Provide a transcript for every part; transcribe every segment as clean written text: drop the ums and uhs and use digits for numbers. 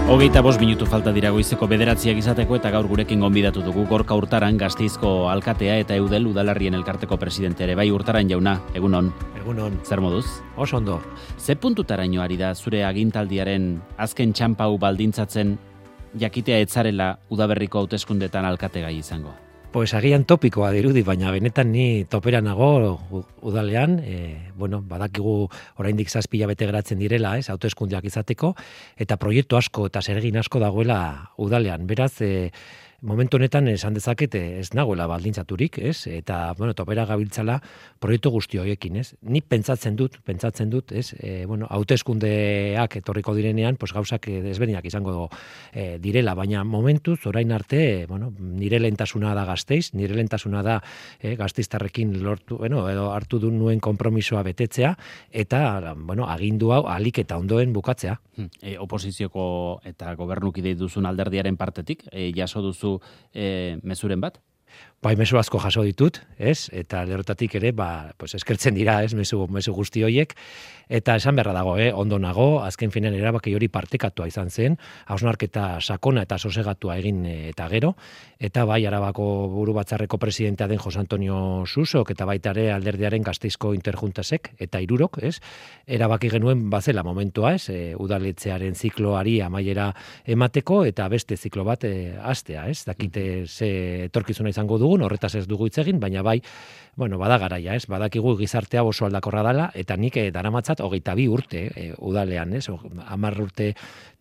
25 minutu falta dira goizeko 9 izateko eta gaur gurekin gonbidatu dugu Gorka Urtaran, Gasteizko alkatea eta Eudel Udalarrien elkarteko presidente ere. Bai, Urtaran jauna, egunon. Egunon. Zer moduz? Oso ondo. Ze puntutaraino ari da zure agintaldiaren azken txanpau baldintzatzen jakitea etzarela udaberriko hauteskundetan alkategai izango? Pues agian topikoa dirudi, baina benetan ni topera nago udalean, badakigu oraindik 7 hilabete geratzen direla, hauteskundeak izateko, eta proiektu asko eta zeregin asko dagoela udalean. Beraz, momentu honetan esan dezaket ez nagoela baldintzaturik, eta topera gabiltzala proiektu guzti horiekin, Ni pentsatzen dut, hauteskundeak etorriko direnean, pues gauzak desberdinak izango direla, baina momentuz orain arte, nire lehentasuna da Gasteiz, nire lehentasuna da gasteiztarrekin lortu, edo hartu du nuen konpromisoa betetzea, eta agindu hau ahalik eta ondoen bukatzea. Oposizioko eta gobernukide duzun alderdiaren partetik, jaso duzu mezuren bat? Bai, mezu asko jaso ditut, eta lerrotatik ere, eskertzen dira, mezu guzti horiek, eta esan beharra dago, ondo nago, azken finean erabaki hori partekatua izan zen, hausnarketa sakona eta sosegatua egin eta gero, eta bai, Arabako buru batzarreko presidentea den Jose Antonio Susok, eta baita ere alderdiaren Gasteizko Interjuntasek, eta 3, erabaki genuen bazela momentua, udaletzearen zikloari amaiera emateko, eta beste ziklo bat hastea, dakite ze etorkizuna izango dugun, horretaz ez dugu hitz egin, baina bai, bada garaia, badakigu gizartea oso aldakorra dela, eta nik daramatzat 22 urte udalean, 10 urte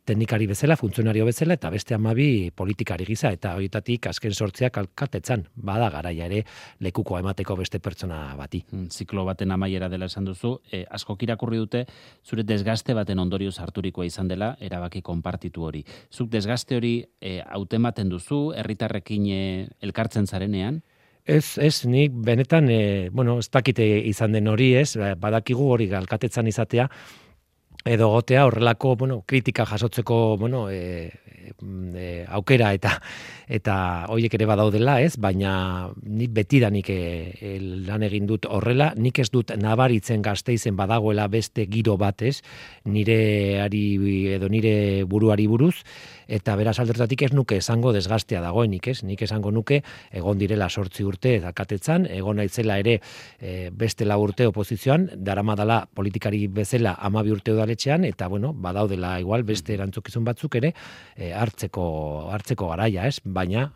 teknikari bezala, funtzionario bezala, eta beste 12 politikari giza, eta horietatik azken 8 alkatetzan, bada garaia ere lekuko emateko beste pertsona bati. Ziklo baten amaiera dela esan duzu, askok irakurri dute, zure desgaste baten ondorioz harturikoa izan dela, erabaki konpartitu hori. Zuk desgaste hori hautematen duzu, herritarrekin elkartzen zarenean? Ez, nik benetan, ez dakite izan den hori, badakigu hori alkatetzan izatea, edo gotea horrelako, kritika jasotzeko, aukera eta horiek ere badaudela, baina nik betidanik lan egin dut horrela, nik ez dut nabaritzen Gasteizen badagoela beste giro bat, nire buruari buruz, eta beraz aldertatik ez nuke esango desgastea dagoenik, nik esango nuke egon direla 8 urte alkatetzan, egon naitzela ere beste 4 urte oposizioan, daramadala politikari bezala 12 urte udaletxean, eta badaudela igual beste erantzukizun batzuk ere hartzeko garaia, baina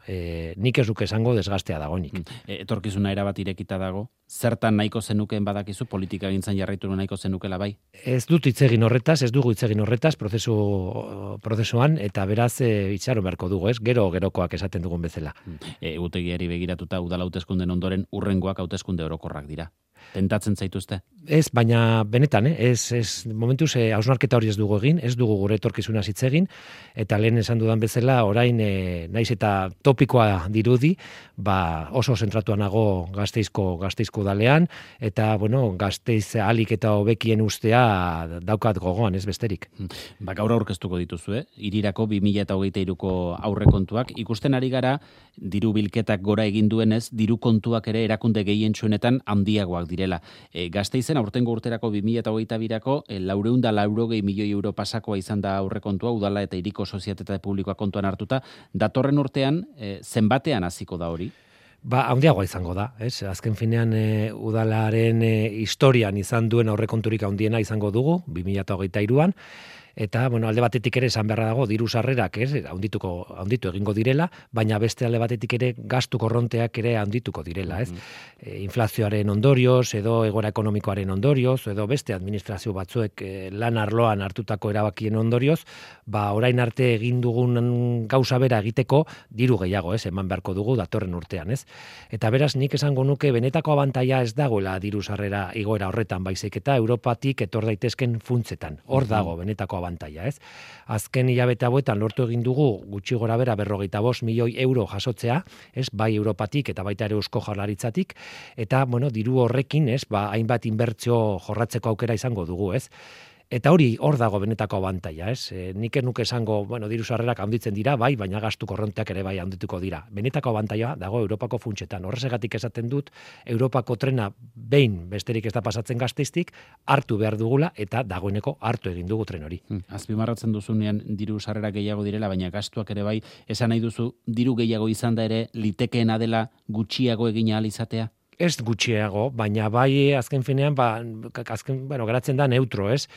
nik ez duke esango desgastea dagoenik. Etorkizuna erabat irekita dago, zertan nahiko zenukeen badakizu, politika gintzan jarraitu nahiko zenukela bai? Ez dut hitz egin horretaz, prozesuan, eta beraz itxaron beharko dugu, gerokoak esaten dugun bezala. Egutegiari begiratuta udal hauteskunden ondoren hurrengoak hauteskunde orokorrak dira. Tentatzen zaituzte? Ez, baina benetan, momentuz hausnarketa hori ez dugu egin, ez dugu gure etorkizuna hitz egin, eta lehen esan dudan bezala, orain naiz eta topikoa dirudi, oso zentratua nago Gasteizko udalean, eta Gasteiz ahalik eta hobekien ustea daukat gogoan, ez besterik. Gaur aurkeztuko dituzu, hirirako 2023ko aurrekontuak, ikusten ari gara, diru bilketak gora egin duenez, diru kontuak ere erakunde gehientsuenetan handiagoak direla. Gasteizen aurtengo urterako 2022ko 480 milioi euro pasakoa izan da aurrekontua, udala eta hiriko sozietate publikoa kontuan hartuta. Datorren urtean, zenbatean hasiko da hori? Handiagoa izango da, Azken finean udalaren historian izan duen aurrekonturik handiena izango dugu, 2023an, eta alde batetik ere esan beharra dago diru sarrerak handitu egingo direla, baina beste alde batetik ere gastu korronteak ere handituko direla, Inflazioaren ondorioz, edo egoera ekonomikoaren ondorioz, edo beste administrazio batzuek lan arloan hartutako erabakien ondorioz, orain arte egin dugun gauza bera egiteko diru gehiago, eman beharko dugu datorren urtean, Eta beraz nik esango nuke benetako abantaila ez dagoela diru sarrera igoera horretan, baizik eta Europatik etor daitezken funtsetan. Hor dago benetako abantaila, Azken hilabete hauetan lortu egin dugu gutxi gora bera 45 milioi euro jasotzea, bai Europatik eta baita ere Eusko Jaurlaritzatik, eta diru horrekin, hainbat inbertsio jorratzeko aukera izango dugu, Eta hori hor dago benetako abantaila, ez? Nik nuke esango, diru sarrerak handitzen dira, bai, baina gastu korronteak ere bai handituko dira. Benetako abantaila dago Europako funtsetan. Horregatik esaten dut, Europako trena behin besterik ez da pasatzen Gasteiztik, hartu behar dugula eta dagoeneko hartu egin dugu tren hori. Azpimarratzen duzunean diru sarrerak gehiago direla, baina gastuak ere bai, esan nahi duzu diru gehiago izan da ere litekeena dela gutxiago egin ahal izatea? Ez gutxiago, baina bai azken finean, geratzen da neutro, ez?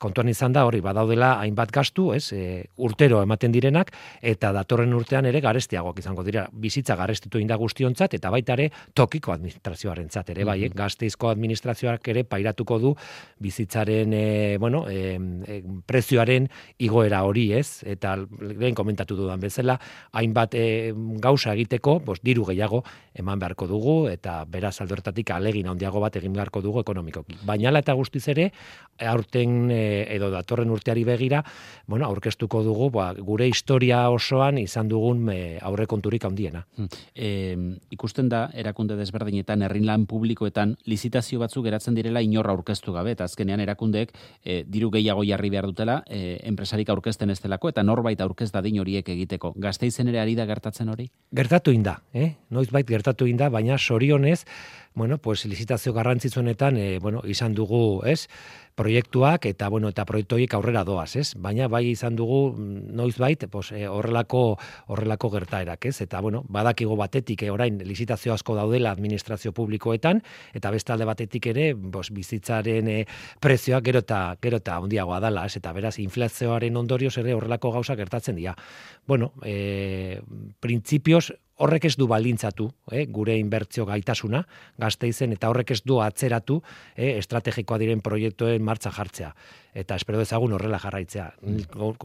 Kontuan izan da hori, badaudela hainbat gastu, ez? Urtero ematen direnak, eta datorren urtean ere garestiagoak izango dira. Bizitza garestitu inda guztiontzat, eta baita ere tokiko administrazioarentzat ere, bai, Gasteizko administrazioak ere pairatuko du bizitzaren, prezioaren igoera hori, ez? Eta lehen komentatu dudan bezala, hainbat gauza egiteko, diru gehiago eman beharko dugu, eta beraz aldo alegin handiago bat egin beharko dugu ekonomikoki. Baina ala eta guztiz ere, aurten edo datorren urteari begira, aurkeztuko dugu gure historia osoan izan dugun aurrekonturik handiena. Ikusten da, erakunde desberdinetan, herrilan publikoetan, lizitazio batzuk geratzen direla inorra aurkeztu gabe, eta azkenean erakundeek diru gehiago jarri behar dutela, enpresarik aurkezten ez delako, eta norbait aurkez dadin horiek egiteko. Gasteizen ere ari da gertatzen hori? Gertatu inda, noizbait gertatu inda, baina sorionez, lizitazio garrantzitsuenetan, izan dugu, ez? Proiektuak eta proiektu horiek aurrera doaz, ez? Baina bai izan dugu noizbait, horrelako gertaerak, ez? Eta badakigu batetik orain lizitazio asko daudela administrazio publikoetan eta beste alde batetik ere, bizitzaren prezioak gero eta handiagoa dela, ez? Eta beraz inflazioaren ondorioz ere horrelako gauza gertatzen dira. Printzipioz horrek ez du baldintzatu, gure inbertsio gaitasuna Gasteizen, eta horrek ez du atzeratu estrategikoa diren proiektuen martxa jartzea. Eta espero dezagun horrela jarraitzea.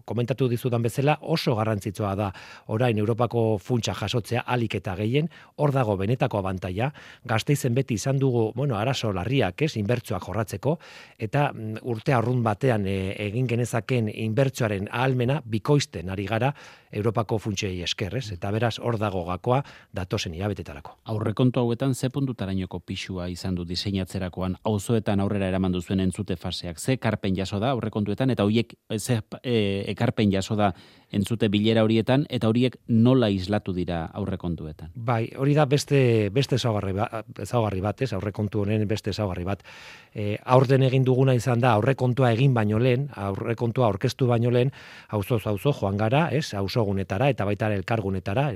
Komentatu dizudan bezala, oso garrantzitsua da orain Europako funtsa jasotzea alik eta gehien, hor dago benetako abantaila. Gasteizen beti izan dugu, arazo larriak, inbertsioak jorratzeko, eta urte arrunt batean egin genezaken inbertsioaren ahalmena bikoizten ari gara Europako funtsei eskerrez, eta beraz hor dago gakoa datozen hilabetetarako. Aurrekontu hauetan ze puntutarainoko pisua izan du diseinatzerakoan, auzoetan aurrera eraman duzuen entzute faseak, ze ekarpen jaso da aurrekontuetan, eta horiek ze ekarpen jaso da entzute bilera horietan, eta horiek nola islatu dira aurrekontuetan? Bai, hori da beste ezaugarri bat, aurrekontu honen beste ezaugarri bat. Aurten egin duguna izan da aurrekontua egin baino lehen, aurrekontua aurkeztu baino lehen, auzo joan gara, auzogunetara eta baita elkargunetara,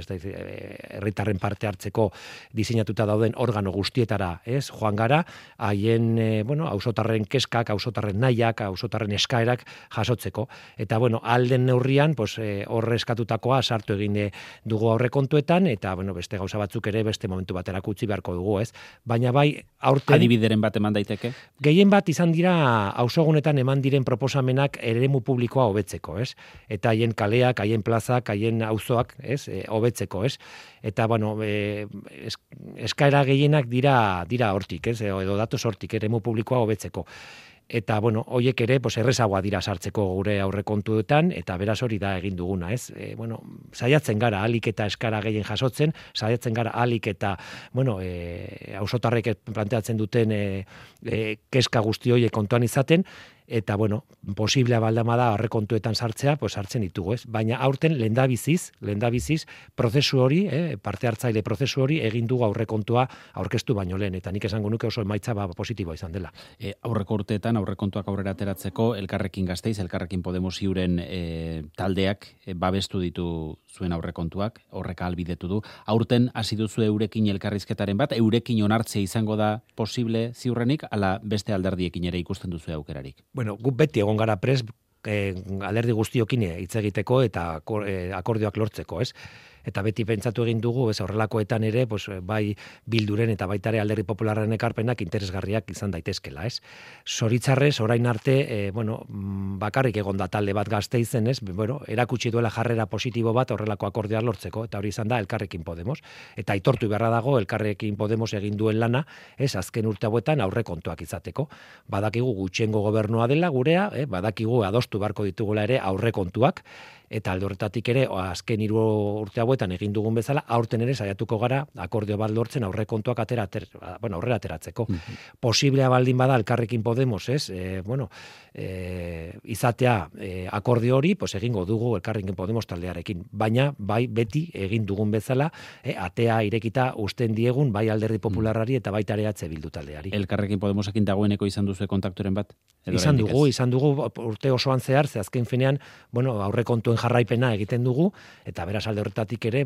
herritarren parte hartzeko diseinatuta dauden organo guztietara, joan gara, haien, auzotarren keskak, auzotarren nahiak, auzotarren eskaerak jasotzeko. Eta, alden neurrian, horre eskatutakoa sartu egin dugu aurrekontuetan, eta, beste gauza batzuk ere beste momentu baterako utzi beharko dugu, ez? Baina bai, aurten... Adibideren bat eman daiteke? Gehien bat izan dira, auzogunetan eman diren proposamenak eremu publikoa hobetzeko, ez? Eta haien kaleak, haien plazak, haien auzoak, ez? Hobetzeko, ez? Eta, eskaera gehienak dira hortik, ez? Edo datoz hortik, eremu publikoa hobetzeko. Eta, horiek ere, errezagoa dira sartzeko gure aurrekontuetan, eta beraz hori da egin duguna, ez? Saiatzen gara alik eta eskara gehien jasotzen, saiatzen gara alik eta, auzotarrek planteatzen duten keska guzti horiek kontuan izaten, eta, posiblea baldama da aurrekontuetan sartzea, sartzen ditugu, ez? Baina aurten lehendabiziz, prozesu hori, parte hartzaile prozesu hori egin dugu aurrekontua aurkeztu baino lehen, eta nik esango nuke oso emaitza positiboa izan dela. Aurreko urteetan aurrekontuak aurrera ateratzeko Elkarrekin Gasteiz, Elkarrekin Podemos Iuren taldeak babestu ditu zuen aurrekontuak, horrek ahalbidetu du. Aurten hasi duzu eurekin elkarrizketaren bat, eurekin onartzea izango da posible ziurrenik, ala beste alderdiekin ere ikusten duzu aukerarik? Guk beti egon gara prest alderdi guztiokin hitz egiteko eta akordioak lortzeko, ez? Eta beti pentsatu egin dugu, horrelakoetan ere, bai Bilduren eta baita ere Alderdi Popularraren ekarpenak interesgarriak izan daitezkela, ez? Zoritzarrez, orain arte, bakarrik egon da talde bat Gasteizen, ez? Erakutsi duela jarrera positibo bat horrelako akordioak lortzeko, eta hori izan da Elkarrekin Podemos. Eta aitortu beharra dago Elkarrekin Podemos egin duen lana, ez? Azken urte hauetan aurrekontuak izateko. Badakigu gutxiengo gobernua dela gurea, badakigu adostu beharko ditugula ere aurrekontuak, eta alde horretatik ere azken 3 urte hauetan egin dugun bezala, aurten ere saiatuko gara akordio bat lortzen aurrekontuak aurrera ateratzeko. Posiblea baldin bada Elkarrekin Podemos, ez? Izatea akordio hori, pues egingo dugu Elkarrekin Podemos taldearekin, baina bai beti egin dugun bezala, atea irekita uzten diegun bai Alderdi Popularrari eta baita ere EH Bildu taldeari. Elkarrekin Podemosekin dagoeneko izan duzu kontakturen bat? Izan dugu urte osoan zehar, ze azken finean, aurrekontuen jarraipena egiten dugu, eta beraz alde horretatik ere,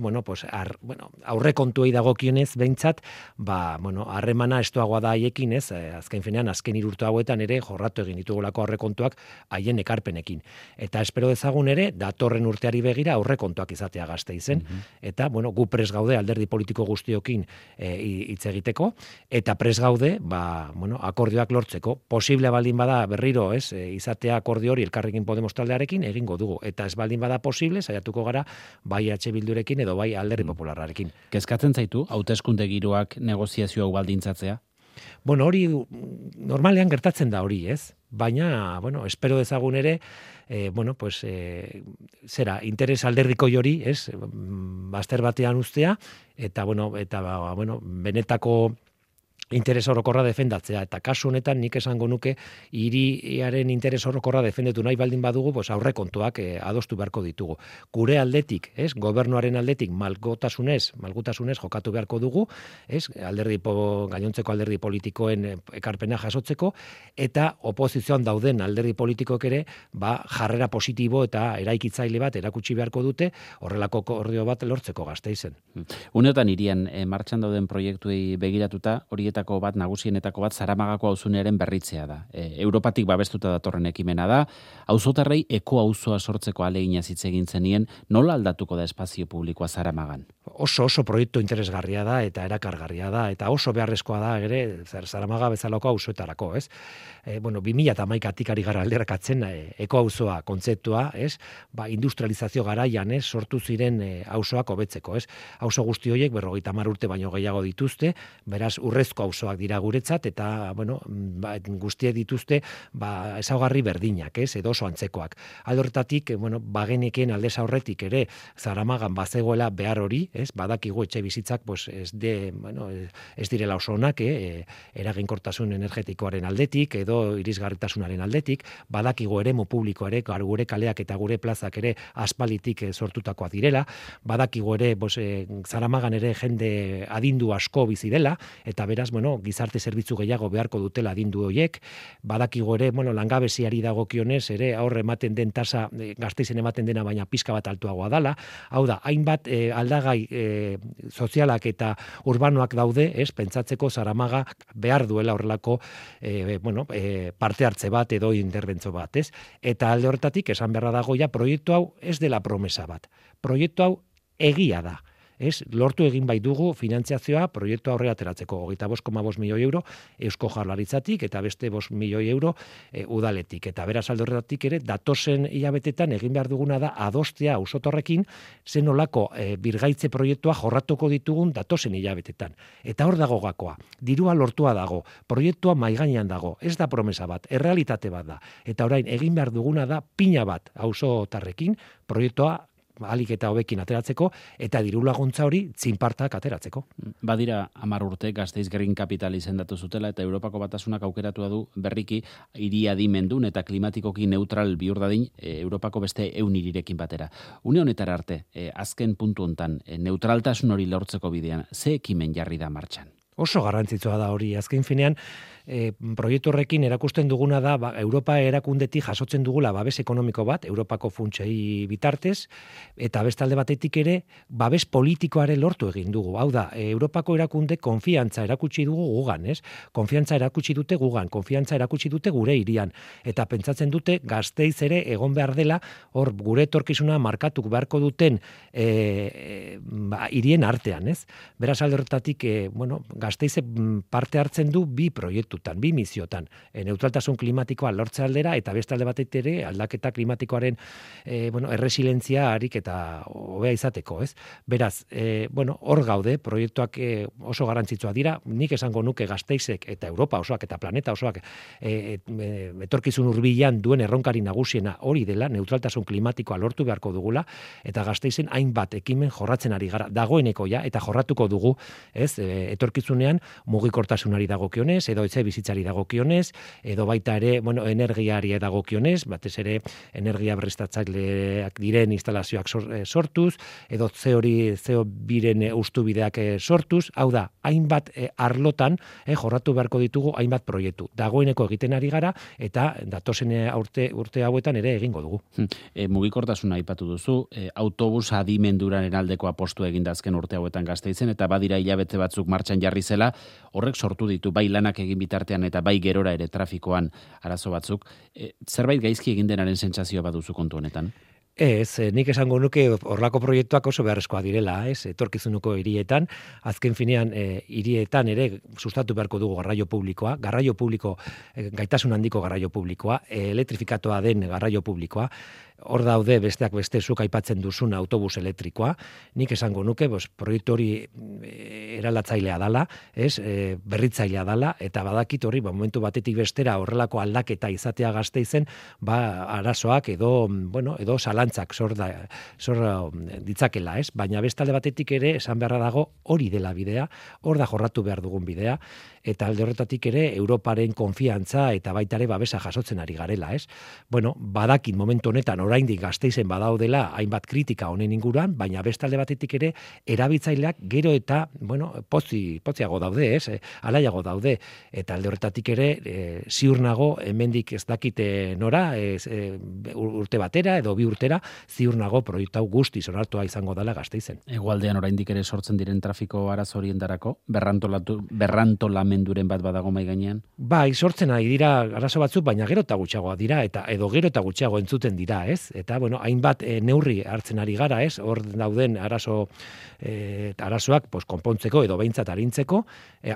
aurrekontuei dagokionez behintzat, harremana estuagoa da haiekin, ez? Azken finean, azken 3 urte hauetan ere jorratu egin ditugulako aurrekontuak haien ekarpenekin. Eta espero dezagun ere, datorren urteari begira aurrekontuak izatea Gasteizen, eta gu pres gaude alderdi politiko guztiokin hitz egiteko, eta pres gaude, akordioak lortzeko. Posible baldin bada berriro, ez, izatea akordio hori Elkarrekin Podemos taldearekin egingo dugu, eta ez baldin bada posible, saiatuko gara bai EH Bildurekin edo bai Alderdi Popularrarekin. Kezkatzen zaitu hauteskunde giroak negoziazio hau baldintzatzea? Hori normalean gertatzen da hori, ez? Baina, espero dezagun ere, interes alderdiko hori, ez? Bazter batean ustea, eta benetako interes orokorra defendatzea, eta kasu honetan nik esango nuke hiriaren interes orokorra defendetu nahi baldin badugu, aurrekontuak adostu beharko ditugu. Gure aldetik, ez, gobernuaren aldetik malgutasunez jokatu beharko dugu, ez, gainontzeko alderdi politikoen ekarpena jasotzeko, eta oposizioan dauden alderdi politikoek ere, jarrera positibo eta eraikitzaile bat erakutsi beharko dute, horrelako akordio bat lortzeko Gasteizen. Uneotan hirian martxan dauden proiektuei begiratuta, horietako bat, nagusienetako bat, Zaramagako auzunearen berritzea da. Europatik babestuta datorren ekimena da, auzotarrei eko auzoa sortzeko ahalegina hitz egin zenien, nola aldatuko da espazio publikoa Zaramagan? Oso proiektu interesgarria da eta erakargarria da, eta oso beharrezkoa da ere Zaramaga bezalako auzoetarako, ez? 2011tik ari gara alderakatzen eko auzoa kontzeptua, ez? Industrializazio garaian, ez, sortu ziren auzoak hobetzeko, ez? Auzo guzti horiek 50 urte baino gehiago dituzte, beraz urrezko auzoak dira guretzat, eta guztiek dituzte ezaugarri berdinak, ez, edo oso antzekoak. Alde horretatik, bageneken aldez aurretik ere Zaramagan bazegoela behar hori, ez, badakigu etxe bizitzak ez direla oso onak, eraginkortasun energetikoaren aldetik edo irisgarritasunaren aldetik, badakigu eremu publiko ere, gure kaleak eta gure plazak ere aspalitik sortutakoak direla, badakigu ere Zaramagan ere jende adindu asko bizi dela, eta beraz, gizarte zerbitzu gehiago beharko dutela adindu horiek, badakigu ere, langabeziari dagokionez ere aurre ematen den tasa Gasteizen ematen dena baina pizka bat altuagoa dela, hau da, hainbat aldagai sozialak eta urbanoak daude, ez, pentsatzeko Zaramaga behar duela horrelako parte hartze bat edo interbentzo bat, ez? Eta alde horretatik esan beharra dago proiektu hau ez dela promesa bat. Proiektu hau egia da. Ez, lortu egin bai dugu finantziazioa proiektu aurrera ateratzeko 25,5 milioi euro Eusko Jaurlaritzatik eta beste 5 milioi euro udaletik. Eta beraz alde horretatik ere datozen hilabetetan egin behar duguna da adostea auzotarrekin zen nolako birgaitze proiektua jorratuko ditugun datozen hilabetetan. Eta hor dago gakoa. Dirua lortua dago, proiektua mahai gainean dago, ez da promesa bat, errealitate bat da. Eta orain egin behar duguna da pina bat auzotarrekin proiektua ahalik eta hobekin ateratzeko, eta diru laguntza hori txinpartak ateratzeko. Badira 10 urte Gasteiz Green Capital izendatu zutela, eta Europako Batasunak aukeratu du berriki hiri adimendun eta klimatikoki neutral bihur dadin Europako beste 100 hirirekin batera. Une honetara arte, azken puntu hontan, neutraltasun hori lortzeko bidean, ze ekimen jarri da martxan? Oso garrantzitsua da hori, azken finean, proiektu horrekin erakusten duguna da, Europa erakundetik jasotzen dugula babes ekonomiko bat, Europako funtsei bitartez, eta bestalde batetik ere, babes politikoare lortu egin dugu. Hau da, Europako erakunde konfiantza erakutsi dugu gugan, ez? Konfiantza erakutsi dute gugan, konfiantza erakutsi dute gure hirian, eta pentsatzen dute Gasteiz ere egon behar dela, hor gure etorkizuna markatuk beharko duten hirien artean, ez? Beraz alde horretatik, Gasteiz parte hartzen du bi proiektu proiektutan, bi misiotan, neutraltasun klimatikoa lortze aldera eta beste alde batetik ere aldaketa klimatikoaren erresilientzia harik eta hobea izateko, ez? Beraz, hor gaude, proiektuak oso garrantzitsua dira, nik esango nuke Gasteizek eta Europa osoak eta planeta osoak etorkizun hurbilean duen erronkari nagusiena hori dela, neutraltasun klimatikoa lortu beharko dugula, eta Gasteizen hainbat ekimen jorratzen ari gara, dagoeneko ja, eta jorratuko dugu, ez, etorkizunean mugikortasunari dagokionez, edo etxe bizitzari dagokionez, edo baita ere, energiari dagokionez, batez ere energia berriztatzaileak diren instalazioak sortuz, edo CO2-ren ustubideak sortuz, hau da, hainbat arlotan jorratu beharko ditugu hainbat proiektu. Dagoeneko egiten ari gara, eta datozen urte hauetan ere egingo dugu. Mugikortasuna aipatu duzu, autobus adimenduraren aldeko apostu egin dazken urte hauetan Gasteizen, eta badira hilabete batzuk martxan jarri zela, horrek sortu ditu bai lanak egin bitartean eta bai gerora ere trafikoan arazo batzuk. Zerbait gaizki egin denaren sentsazioa baduzu kontu honetan? Ez, nik esango nuke horlako proiektuak oso beharrezkoa direla, ez, etorkizunuko hirietan, azken finean hirietan ere sustatu beharko dugu garraio publikoa, gaitasun handiko garraio publikoa, elektrifikatua den garraio publikoa, hor daude besteak beste zuk aipatzen duzun autobus elektrikoa, nik esango nuke, proiektu hori eralatzailea dala, ez, berritzailea dala, eta badakit hori, momentu batetik bestera horrelako aldaketa izatea Gasteizen, arazoak edo zalantzak sor ditzakela, ez? Baina bestalde batetik ere esan beharra dago hori dela bidea, hor da jorratu behar dugun bidea, eta alde horretatik ere Europaren konfiantza eta baita ere babesa jasotzen ari garela, ez? Badakit momentu honetan oraindik Gasteizen badaudela hainbat kritika honen inguruan, baina bestalde batetik ere erabiltzaileak gero eta potziago daude, ez? Alaiago daude, eta alde horretatik ere ziur nago hemendik ez dakite nora, urte batera edo bi urtera, ziur nago proiektu hau guztiz onartua izango dela Gasteizen. Hegoaldean oraindik ere sortzen diren trafiko arazo horientarako berrantolamenduren bat badago mai gainean? Bai, sortzen ari dira arazo batzuk, baina gero eta gutxiagoa dira edo gero eta gutxiago entzuten dira, ez? Eta hainbat neurri hartzen ari gara, ez? Hor dauden arazoak konpontzeko edo behintzat arintzeko,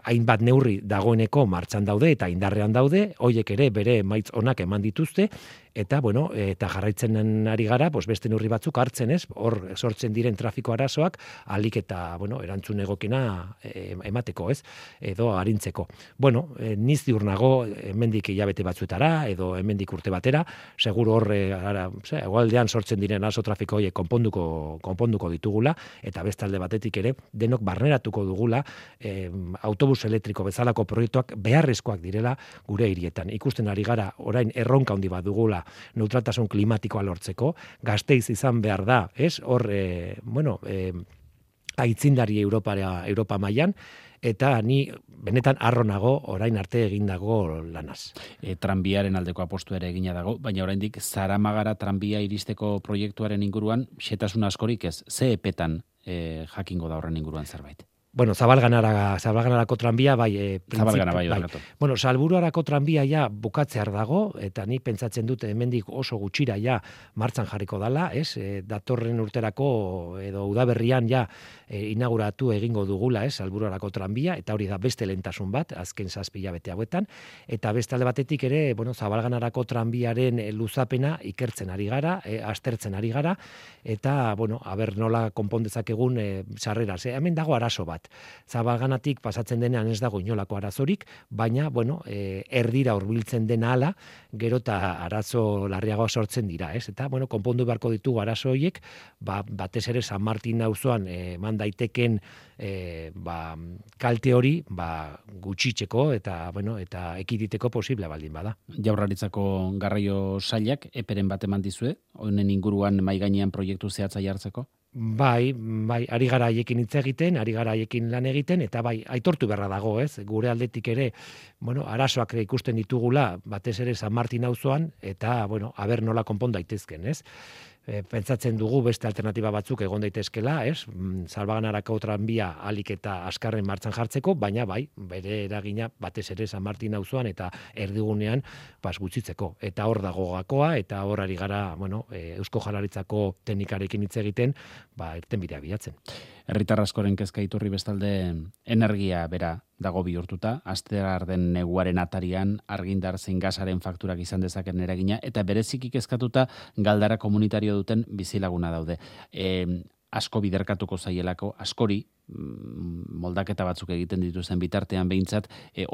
hainbat neurri dagoeneko martxan daude eta indarrean daude, hoiek ere bere emaitz onak eman dituzte, eta eta jarraitzen ari gara, beste neurri batzuk hartzen, ez? Hor sortzen diren trafiko arazoak ahalik eta erantzun egokena emateko, ez? Edo arintzeko. Ni ziur nago hemendik hilabete batzuetara edo hemendik urte batera, seguru hor hegoaldean sortzen diren arazo trafiko horiek konponduko ditugula, eta bestalde batetik ere denok barneratuko dugula autobus elektriko bezalako proiektuak beharrezkoak direla gure hirietan. Ikusten ari gara orain erronka handi bat dugula neutraltasun klimatikoa lortzeko, Gasteiz izan behar da, ez? Hor aitzindari Europa mailan, eta ni benetan harro nago orain arte egindago lanaz. Tranbiaren aldeko apostu ere egina dago, baina oraindik Zaramagara tranbia iristeko proiektuaren inguruan xetasun askorik ez, ze epetan jakingo da horren inguruan zerbait? Zabalganarako tranbia, bai. Zabalgana, bai. Salburuarako tranbia ja bukatzear dago, eta ni pentsatzen dut hemendik oso gutxira ja martxan jarriko dala, ez? Datorren urterako edo udaberrian ja inauguratu egingo dugula, ez? Salburuarako tranbia, eta hori da beste lehentasun bat, azken 7 hilabete hauetan, eta beste alde batetik ere, Zabalganarako tranbiaren luzapena ikertzen ari gara, aztertzen ari gara, eta, aber nola konpondezakegun sarreraz. Hemen dago arazo bat. Zabalganatik pasatzen denean ez dago inolako arazorik, baina, erdira hurbiltzen dena ala, gero eta arazo larriagoa sortzen dira, ez? Eta, konpondu beharko ditugu arazo horiek, batez ere San Martin auzoan eman daiteken kalte hori, gutxitzeko eta ekiditeko posible baldin bada. Jaurlaritzako garraio sailak eperen bat eman dizue, honen inguruan mai gainean proiektu zehatza jartzeko? Bai, ari gara haiekin hitz egiten, ari gara haiekin lan egiten, eta bai, aitortu beharra dago, ez? Gure aldetik ere, arazoak ikusten ditugula, batez ere San Martin auzoan, eta, aber nola konpon daitezken, ez? Pentsatzen dugu beste alternatiba batzuk egon daitezkela, ez? Zabalganarako tranbia ahalik eta azkarren martxan jartzeko, baina bai, bere eragina batez ere San Martin auzoan eta erdigunean gutxitzeko. Eta hor dago gakoa, eta hor ari gara, Eusko Jaurlaritzako teknikarekin hitz egiten, irtenbidea bilatzen. Herritar askoren kezka iturri bestalde energia bera dago bihurtuta, astear den neguaren atarian argindar zein gasaren fakturak izan dezaken eragina, eta bereziki kezkatuta Galdara komunitario duten bizilaguna daude. Asko biderkatuko zaielako, askori, moldaketa batzuk egiten dituzen bitartean behintzat,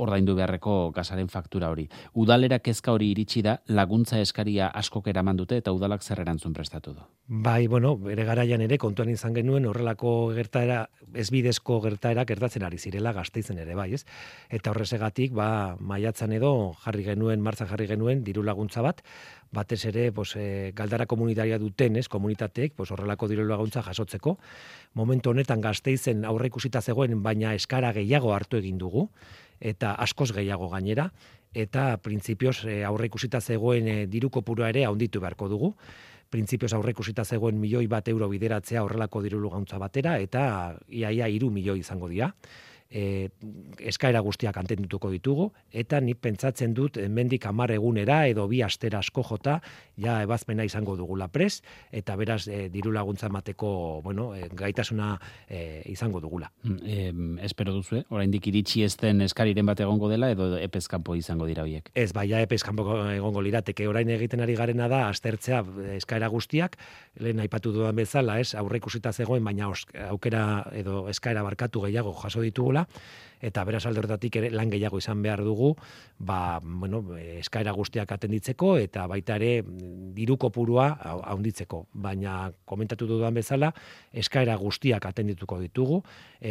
ordaindu beharreko gasaren faktura hori. Udalera kezka hori iritsi da, laguntza eskaria askok eraman dute eta udalak zer erantzun prestatu du. Bai, bere garaian ere kontuan izan genuen horrelako gertaera, ezbidezko gertaera gertatzen ari zirela Gasteizen ere, bai, ez? Eta horrezegatik, maiatzan edo martzan jarri genuen diru laguntza bat, batez ere, Galdara komunitaria duten, komunitateek, horrelako diru laguntza jasotzeko. Momentu honetan Gasteizen aurre ikusita zegoen, baina eskara gehiago hartu egin dugu, eta askoz gehiago gainera, eta printzipioz aurre ikusita zegoen diru kopurua ere handitu beharko dugu. Printzipioz aurre ikusita zegoen €1.000.000 bideratzea horrelako diru laguntza batera, eta iaia 3 milioi izango dira. Eskaera guztiak atendutuko ditugu, eta nik pentsatzen dut hemendik 10 egunera edo 2 astera asko jota, ja ebazpena izango dugula prest, eta beraz diru laguntza emateko, gaitasuna izango dugula. Espero duzu, oraindik iritsi ez den eskariren bat egongo dela, edo epez kanpo izango dira horiek? Ez, ja epez kanpo egongo lirateke, orain egiten ari garena da aztertzea eskaera guztiak, lehen aipatu dudan bezala, aurre ikusita zegoen, baina aukera edo eskaera barkatu gehiago jaso ditugula, eta beraz alde horretatik ere lan gehiago izan behar dugu, eskaera guztiak atenditzeko eta baita ere diru kopurua handitzeko. Baina komentatu dudan bezala, eskaera guztiak atendituko ditugu,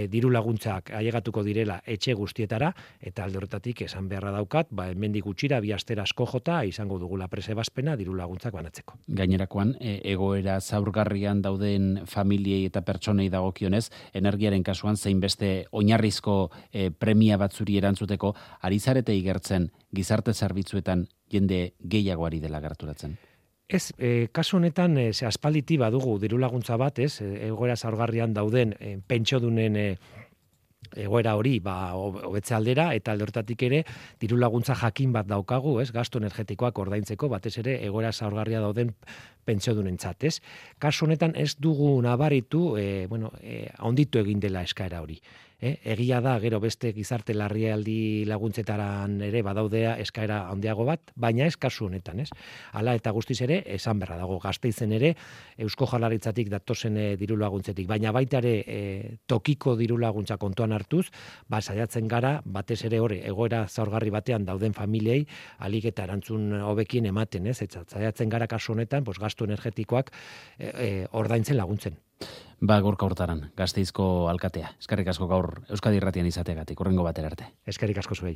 diru laguntzak ailegatuko direla etxe guztietara, eta alde horretatik esan beharra daukat, hemendik gutxira 2 astera asko jota izango dugula presebazpena diru laguntzak banatzeko. Gainerakoan, egoera zaurgarrian dauden familiei eta pertsonei dagokionez, energiaren kasuan zein beste oinarrizko premia batzuri erantzuteko, ari zarete igertzen gizarte zerbitzuetan jende gehiago ari dela gerturatzen? Ez, kasu honetan, aspalditi badugu diru laguntza bat, egoera zaurgarrian dauden pentsiodunen egoera hori hobetze aldera, eta alde horretatik ere diru laguntza jakin bat daukagu, gastu energetikoak ordaintzeko, batez ere egoera zaurgarria dauden pentsiodunentzat, ez? Kasu honetan ez dugu nabaritu, handitu egin dela eskaera hori. Egia da, gero beste gizarte larrialdi laguntzetaran ere badaudea eskaera handiago bat, baina ez kasu honetan, ez? Hala eta guztiz ere, esan berra dago Gasteizen ere, Eusko Jaurlaritzatik datozen diru laguntzetik, baina baita ere tokiko diru laguntza kontuan hartuz, saiatzen gara, batez ere hori, egoera zaurgarri batean dauden familiei, alik eta erantzun hobekien ematen, ez? Eta saiatzen gara kasu honetan, gastu energetikoak ordaintzen laguntzen. Gorka Hurtaran, Gasteizko alkatea. Eskerrik asko gaur Euskadi Irratian izateagatik, hurrengo batera arte. Eskerrik asko zuei.